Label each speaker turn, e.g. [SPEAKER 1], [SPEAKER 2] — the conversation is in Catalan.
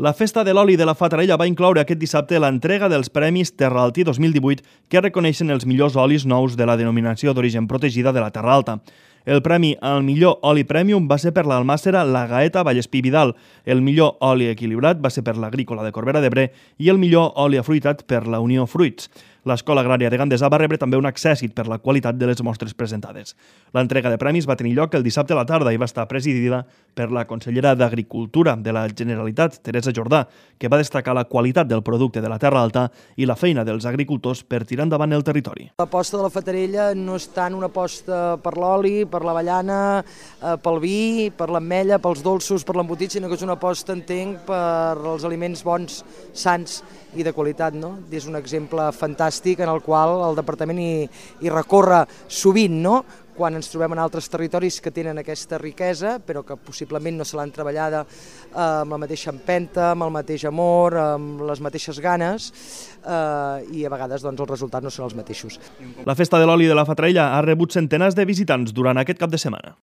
[SPEAKER 1] La Festa de l'Oli de la Fatarella va incloure aquest dissabte l'entrega dels Premis Terraltí 2018 que reconeixen els millors olis nous de la denominació d'origen protegida de la Terra Alta. El premi al millor oli premium va ser per l'almàssera La Gaeta Vallespí Vidal, el millor oli equilibrat va ser per l'Agrícola de Corbera d'Ebre i el millor oli afruitat per la Unió Fruits. L'Escola Agrària de Gandesa va rebre també un accèssit per la qualitat de les mostres presentades. L'entrega de premis va tenir lloc el dissabte a la tarda i va estar presidida per la consellera d'Agricultura de la Generalitat, Teresa Jordà, que va destacar la qualitat del producte de la Terra Alta i la feina dels agricultors per tirar endavant el territori.
[SPEAKER 2] L'aposta de la Fatarella no és tant una aposta per l'oli, per l'avellana, pel vi, per l'ametlla, pels dolços, per l'embotit, sinó que és una aposta, entenc, per els aliments bons, sans i de qualitat, no? És un exemple fantàstic en el qual el departament hi recorre sovint, no? Quan ens trobem en altres territoris que tenen aquesta riquesa, però que possiblement no se l'han treballada amb la mateixa empenta, amb el mateix amor, amb les mateixes ganes, i a vegades doncs, els resultats no són els mateixos.
[SPEAKER 1] La Festa de l'Oli de la Fatarella ha rebut centenars de visitants durant aquest cap de setmana.